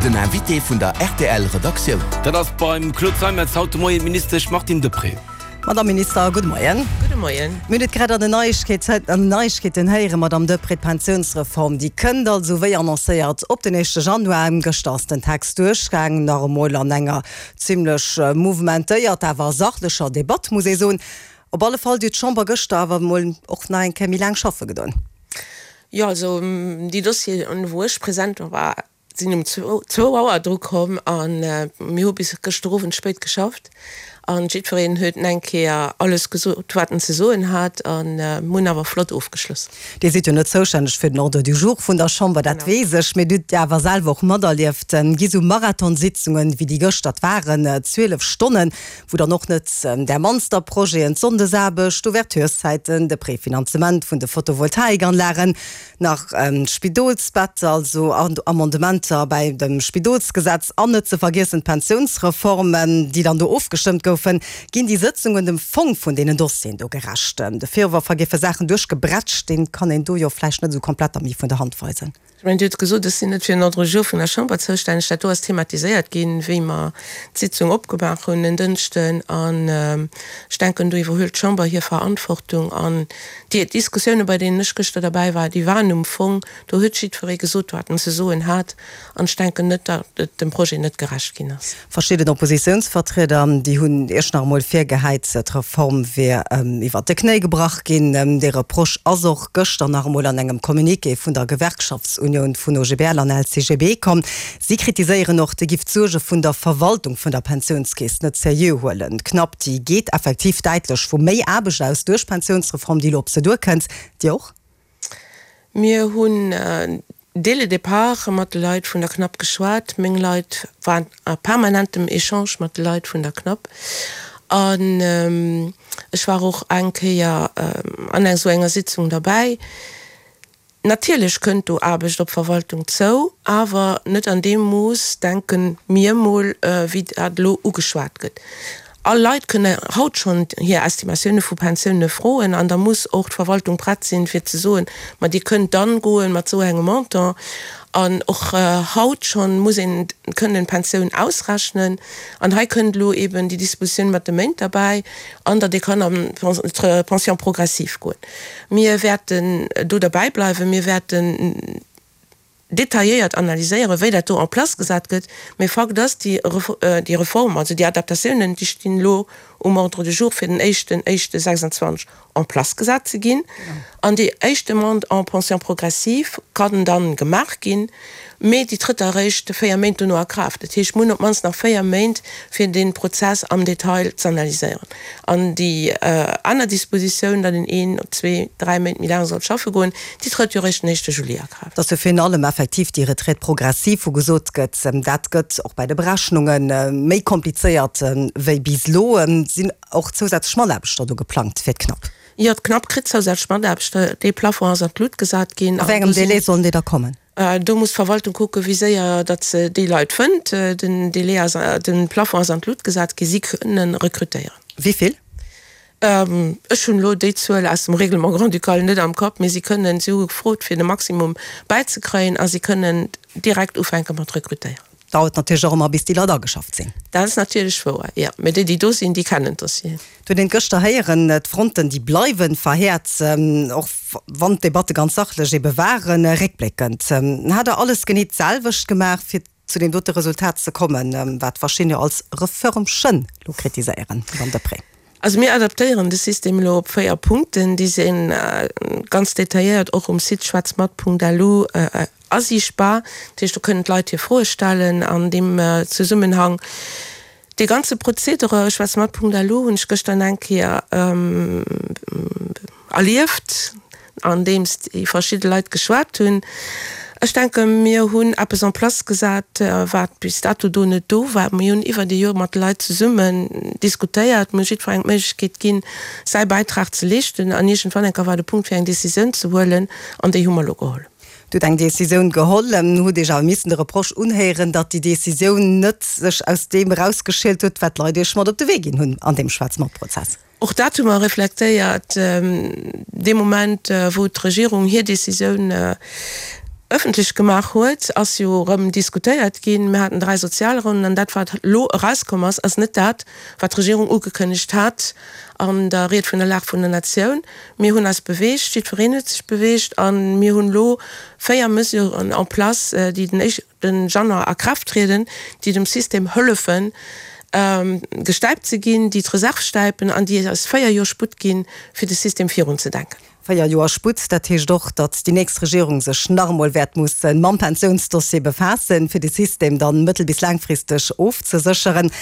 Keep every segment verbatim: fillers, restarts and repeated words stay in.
Den Invité vun der R T L Redaktioun. Dat ass beim Claude Zeimetz haut de Moien d'Ministesch Martine Deprez. Madame Minister, gudde Moien. Gudde Moien. Mir hunn et grad an den Neiegkeeten héieren, Madame Deprez, d'Pensiounsreform, déi kënnt also wéi annoncéiert op den éischte Januar. Gëschter ass den Text duerchgaangen, nach emol an enger zimlech mouvementéiert, awer sachlecher Debatt, muss ee soen. Op alle Fall, déi huet d'Chamber gëschter awer emol och nach eng Kéier méi laang schaffe gedoen. Jo, also déi Dossieren, wou ech present war, sinn um zwou Auer dru komm a mir hu bis gëschter Owend spéit geschafft an jiddwereen huet eng Kéier alles gesot, wat en ze soen hat, a mir hunn awer flott ofgeschloss. Dir sidd jo net zoustänneg fir den Ordre du jour vun der Chamber, dat weess ech, mee Dir hutt awer selwer och materlieft, gi sou Marathonsitzungen, wéi déi gëschter waren, zwielef Stonnen, wou dann och net där mannster Projeten, d'Sonndesaarbecht, d'Ouvertureszäiten, de Prefinanzement vun de Photovoltaikanlagen, nach d'Spidolsbetter, also Amendementer bäi dem Spidolsgesetz an net ze vergiessen d'Pensiounsreform, déi dann do ofgestëmmt goufen. Ginn déi Sëtzungen dem Fong vun deenen Dossieren do gerecht? De Virworf, hei géife Saachen duerchgebrätscht, dee kann een do jo vläicht net esou komplett da méi vun der Hand weisen. Ech mengen, Dir hutt gesot, ech sinn net fir den Ordre du jour vun der Chamber zoustänneg. Dat do ass thematiséiert ginn, wéi mer d'Sitzung opgemaach hunn en Dënschden. An ech denken, do iwwerhëlt d'Chamber hir Verantwortung. An déi Diskussiounen, bei deenen ech gëschter derbäi war, déi waren um Fong. Do huet jiddweree gesot, wat en ze soen hat. An ech denken net, datt et dem Projet net gerecht ginn ass. Verschidden Oppositiounsvertrieder, déi hunn Iech nach emol virgehäit, d'Reform wier iwwert de Knéi gebrach ginn. Dee Reproche ass och gëschter nach emol an engem Communiqué vun der Gewerkschaftsunioun vun O G B L an L C G B komm. Si kritiséieren och, Dir gifft d'Suerge vun der Verwaltung vun der Pensiounskeess net seriö huelen. D'Knapp, déi geet effektiv däitlech vu méi Aarbecht aus duerch d'Pensiounsreform, déi elo op se duerkënnt. Dir och? Mir hunn dès le départ mat de Leit vun der CNAP geschwat. Meng Leit waren a permanentem Echange mat de Leit vun der CNAP. An ech war och eng Kéier an esou enger Sitzung derbäi. Natierlech kënnt do Aarbecht op d'Verwaltung zou, awer net an deem Mooss, denke mir mol, wéi dat elo ugeschwat gëtt. All Leit kënne haut schonn hir Estimatioune vu Pensioune froen an da muss och d'Verwaltung prett sinn, fir ze soen, ma Dir kënnt dann goen mat esou engem Montant. An och haut schonn muss een kënnen d'Pensioun ausrechnen. An hei kënnt elo eben déi Dispositioun mat de Méint derbäi an datt ee kann an d'Pension progressive goen. Mir wäerten do derbäi bleiwen. Mir wäerten detailléiert analyséieren, wéi dat do en place gesat gëtt. Mee Fakt ass, déi déi Reform, also déi Adaptatiounen, déi stinn elo um Ordre du jour fir den éischten éischte sechsanzwanzeg en place gesat ze ginn. An déi éischt Demande en pension progressive kann dann gemaach ginn, mee déi trëtt eréischt véier Méint dono a Kraaft. Dat heescht, mir hunn op d'mannst nach véier Méint, fir dee Prozess am Detail z'analyséieren. An déi aner Dispositioun, datt een een, zwee, dräi Méint méi laang soll schaffe goen, déi trëtt jo eréischt den éischte Juli a Kraaft. Dass jo virun allem effektiv déi Retraite progressive, wou gesot gëtt, dat gëtt och bei de Berechnunge méi komplizéiert wéi bis elo. Sinn och zousätzlech Mataarbechter do geplangt fir d'CNAP? Jo, d'CNAP kritt zousätzlech Mataarbechter. Dee Plafond ass an d'Lut gesat ginn. A wéi engem Délai sollen déi da kommen? Do muss d'Verwaltung kucken, wéi séier datt se déi Leit fënnt. Den Délai ass, de Plafond ass an d'Lut gesat ginn. Si kënnen rekrutéieren. Wéi vill? Ech hunn elo déi Zuel aus dem Règlement grand-ducal net am Kapp, mee si kënnen, si hu gefrot fir de Maximum bäizekréien a si kënnen direkt ufänke mat rekrutéieren. Dauert natierlech och ëmmer, bis déi Leit ageschafft sinn. Dat ass natierlech wouer, jo. Mee déi, déi do sinn, déi kennen d'Dossieren. Et huet een gëschter héieren, d'Fronten, déi bleiwe verhäert, och wann d'Debatte ganz sachlech ebe waren. Réckbléckend, hat Der alles genee d'selwecht gemaach, fir zu deem dote Resultat ze kommen, wat verschiddener als Reförmchen lo kritiséieren, Madame Deprez? Also mir adaptéieren de System elo op véier Punkten, déi si ganz detailléiert och um Site schwatzmat Punkt L U asiichtbar. Dat heescht, do kënnen d'Leit hir Froe stellen an deem Zesummenhang. Dee ganze Prozedere schwatzmat Punkt L U hunn ech gëschter eng Kéier erlieft, andeems déi verschidde Leit geschwat hunn. Ech denke mir hunn eppes en place gesat, wat bis dato do net do war. Mir hunn iwwer déi Joer mat de Leit zesummen diskutéiert, mir hu jiddwerengem d'Méiglechkeet ginn, säi Bäitrag ze leeschten an iergendwann eng Kéier war de Punkt fir eng Decisioun ze huelen an déi hu mer elo geholl. Dir hutt eng Decisioun geholl, hutt Iech awer missen de Reproche unhéieren, datt déi Decisioun net sech aus deem erausgeschielt huet, wat d'Leit Iech mat op de Wee ginn hunn an deem Schwaarz-Mat-Prozess. Och dat hu mer reflektéiert. Dee Moment, wou d'Regierung hir Decisioun ëffentlech gemaach huet, ass jo erëm diskutéiert ginn. Mir haten dräi Sozialronnen an dat, wat elo erauskomm ass, ass net dat, wat d'Regierung ugekënnegt hat an der Ried vun der Lag vun der Natioun. Mir hunn eis beweegt, jiddwereen huet sech beweegt a mir hunn elo véier Mesuren en place, déi den éischten Januar a Kraaft trieden, déi dem System hëllefen, gestäipt ze ginn, déi d'Reserv stäipen an déi eis véier Joer Sputt ginn, fir de System virunzedenken. Véier Joer Sputt, dat heescht och, datt déi nächst Regierung sech nach emol wäert musse mam Pensiounsdossier befaassen, fir de System dann mëttel bis laangfristeg ofzesécheren.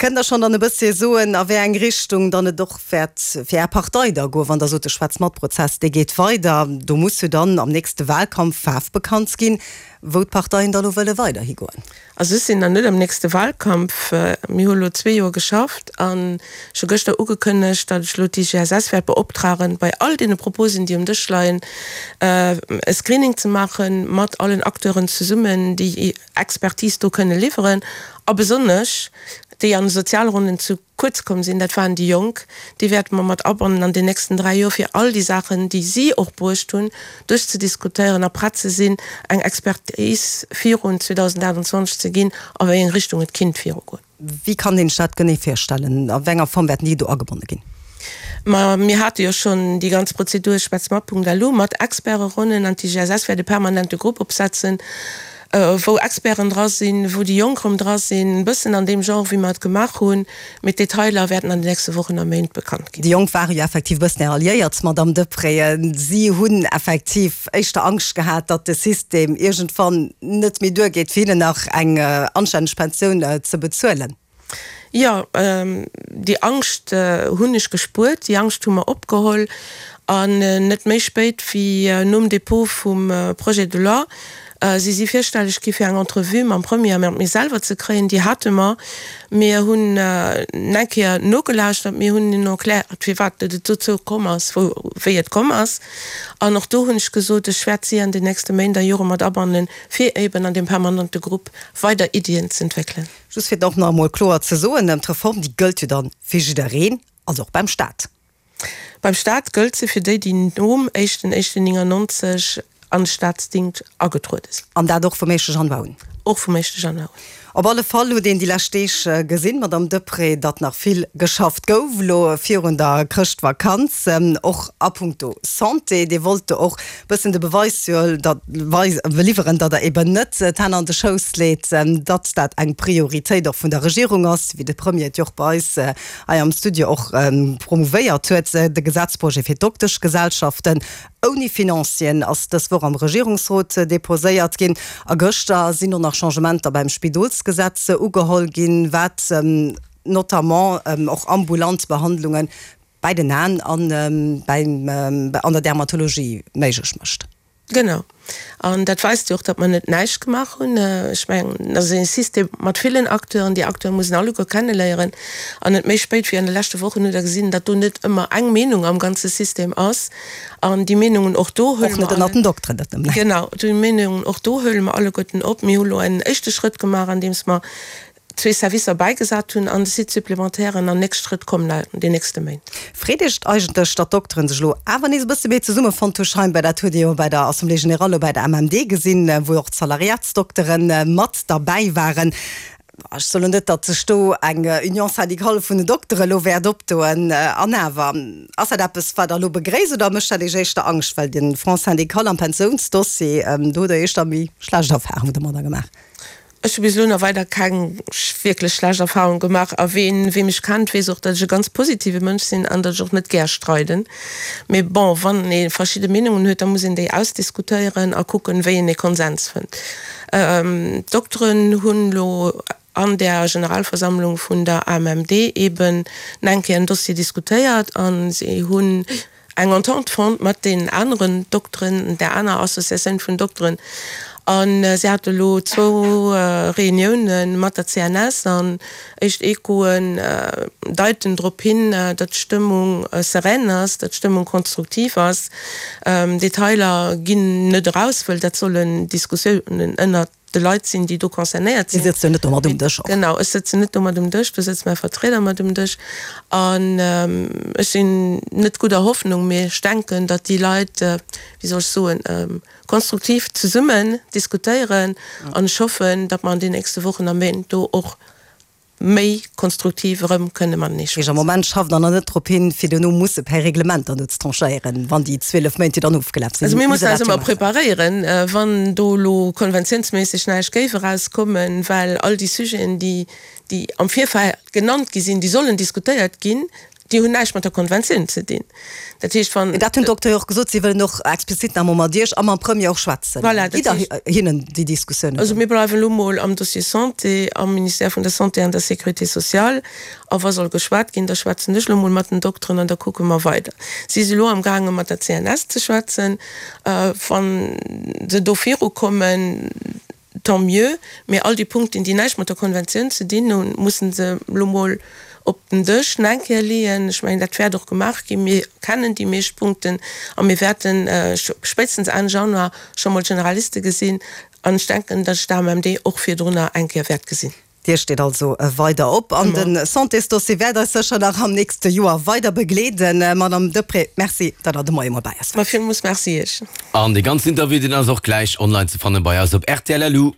Kënnt Der schonn dann e bësschen soen, a wéi eng Richtung dann et och wäert fir Är Partei da goen, wann Der sot, de Schwätz-mat-Prozess, dee geet weider? Do muss jo dann am nächste Wahlkampf Faarf bekannt ginn, wou d'Parteien da lo wëlle weiderhi goen. Also ech sinn nach net am nächste Wahlkampf. Mir hu lo zwee Joer geschafft an ech hu gëschter ugekënnegt, datt ech lo d'IGSS wäert beoptragen, bei all deene Proposen, déi um Dësch leien, e Screening ze maache mat allen Acteuren zesummen, déi Expertise do kënne liwweren a besonnesch déi an de Sozialronnen zu kuerz komm sinn, dat waren déi Jonk, déi wäerte mer mat abannen an den nächsten dräi Joer, fir all déi Saachen, déi si och bruecht hunn, duerchzediskutéieren a prett ze sinn, eng Expertise virun zweedausendaachtundzwanzeg ze ginn, a wéi eng Richtung et kinnt virugoen. Wéi kann een sech dat genee virstellen? A wéi enger Form wäerten déi do agebonne ginn? Ma mir hate jo schonn déi ganz Prozedur Schwätzmat.lu mat Experteronnen an d'IGSS wäert e permanente Grupp opsetzen, wou Experten dra sinn, wou déi Jonk erëm dra sinn, e bëssen an deem Genre wéi mer et gemaach hunn, mee d'Detailer wäerten an den nächste Wochen a Méint bekannt ginn. Déi Jonk ware jo effektiv e bëssen Är Alliéiert, Madamm Deprez. Si hunn effektiv éischter Angscht gehat, datt de System iergendwann net méi duergeet, fir hinnen nach eng anstänneg Pensioun ze bezuelen. Jo, déi Angscht hunn ech gespuert, déi Angscht hu mer opgeholl an net méi spéit wéi nom Dépôt vum Projet de loi si si virstelleg gi fir eng Entrevue mam Premier a mat mir selwer ze kréien. Déi hate mer. Mir hunn eng Kéier nogelauschtert, mir hunn hinnen erkläert, firwat et dozou komm ass, wou, wéi et komm ass. An och do hunn ech gesot, ech wäert si an den nächste Méint a Jore mat abannen, fir eben an deem permanente Grupp weider Iddien z'entwéckelen. Just fir et och nach emol kloer ze soen, D'Reform, déi gëllt jo dann fir jiddereen, also och beim Staat. Beim Staat gëllt se fir déi, déi nom éischten éischten néngannonzeg an de Staatsdingscht agetruede sinn. An dat och vum éischte Januar un? Och vum éischte Januar un. Op alle Fall huet een déi lescht Deeg gesinn, Madamm Deprez, datt nach vill geschafft gouf elo virun der Chrëschtvakanz, och a puncto Santé. Dir wollt do och e bëssen de Beweis liwweren, datt Der eben net d'Hänn an de Schouss leet, datt dat eng Prioritéit och vun der Regierung ass, wéi de Premier et jo och bei eis hei am Studio och promouvéiert huet, de Gesetzprojet fir d'Dokteschgesellschaften ouni Financieren ass dës Woch am Regierungsrot deposéiert ginn. A gëschter sinn och nach Changementer beim Spidolsgesetz ugeholl ginn, wat notamment och ambulant Behandlunge bei den Aen an beim an der Dermatologie méiglech mécht. Genau. An dat weist jo och, datt mer net näischt gemaach hunn. Ech mengen, dat ass e System mat villen Acteuren. Déi Acteure mussen alleguer kenneléieren. An net méi spéit wéi an de leschte Wochen hutt Der gesinn, datt do net ëmmer eng Meenung am ganze System ass. An déi Meenungen och do huele mer. Och net ënnert den Dokteren, dat nëmmen. Genau, déi Meenungen och do huele mer alleguerten op. Mir hu lo en éischte Schrëtt gemaach, andeems mer zwee Servicer bäigesat hunn an de Site supplémentairen an nächst Schrëtt kommen an den nächste Méint. Freet Iech et eigentlech, datt d'Dokteren sech elo awer nees e bësse méi zesummefonnt hu scheinbar? Dat huet ee jo bei der Assemblée générale bei der M M D gesinn, wou och d'Salariatsdoktere mat derbäi waren. Ech soen net, datt sech do eng Union syndicale vun den Doktere elo wäert opdoen. An awer, ass dat eppes, wat Der elo begréisst oder mécht dat Iech éischter Angscht? Well de Front syndical am Pensiounsdossier, do hutt Der éischter méi schlecht Erfahrungen domadder gemaach. Ech hu bis elo nach weider keng wierklech schlecht Erfahrung gemaach a ween wee mech kennt, weess och, datt ech e ganz positive Mënsch sinn an datt ech och net gär streiden. Mee bon, wann ee verschidde Meenungen huet, da muss een déi ausdiskutéieren a kucken, wéi een ee Konsens fënnt. D'Dokteren hunn elo an där Generalversammlung vun der A M M D eeben eng Kéier en Dossier diskutéiert a si hunn eng Entente fonnt mat deenen aneren Dokteren, där aner Associatioun vun Dokteren. A si hate elo zwou Reunioune mat der C N S an éischt Echoen deiten drop hin, datt d'Stëmmung serein ass, datt d'Stëmmung konstruktiv ass. Detailer ginn net eraus, wëll dat sollen Diskussiounen ënnert de Leit sinn, déi do concernéiert sinn. Dir sëtzt jo net do mat um Dësch och. Genau, ech sëtzen net do mat um Dësch, do sëtzt mäi Vertrieder mat um Dësch. An ech sinn net gudder Hoffnung, mee ech denken, datt déi Leit, wéi soll ech soen, konstruktiv zesummen diskutéieren. An ech hoffen, datt mer an den nächste Wochen a Méint do och méi konstruktiv erëm kënne matenee schwätzen. Am Moment schafft Der nach net drop hin, fir duerno musse per Reglement dann do ze tranchéieren, wann déi zwielef Méint jo dann ofgelaf sinn. Also mir mussen eis ëmmer preparéieren, wann do elo konventiounsméisseg näischt géif erauskommen, well all déi Sujeten, déi, déi am Virfeld genannt gi sinn, déi sollen diskutéiert ginn, Déi hunn näischt mat der Konventioun ze dinn. Dat heescht, wann. Dat hunn d'Doktere jo och gesot, si wëllen och explizit nach emol mat Iech a mam Premier och schwätzen. Voilà, dat Gitt Der hinnen déi Diskussiounen Also dann? mir bleiwen elo mol am Dossier Santé, am Ministère vun der Santé an der Sécurité sociale. A wa soll geschwat ginn, da schwätzen ech elo mol mat den Dokteren an da kucke mer weider. Si si elo amgaange mat der C N S ze schwätzen. Wa se do virukommen, tant mieux, mee all déi Punkten, déi näischt mat der Konventioun ze dinn hunn, mussen se elo mol op den Dësch nach eng Kéier leeën. Ech mengen, dat wäert och gemaach ginn. Mir kennen déi meescht Punkten a mir wäerte spéitstens Enn Januar scho mol d'Generaliste gesinn an ech denken, datt ech d'A M M D och virdrunner eng Kéier wäert gesinn. D'Dier steet also weider op an de Santésdossier wäert eis sécher nach am nächste Joer weider begleeden. Madame Deprez, Merci, datt Der de Moie mol bei eis waart. Ma villmools Merci Iech. An dee ganzen Interview, deen ass och gläich online ze fanne bei eis op rtl. Lu.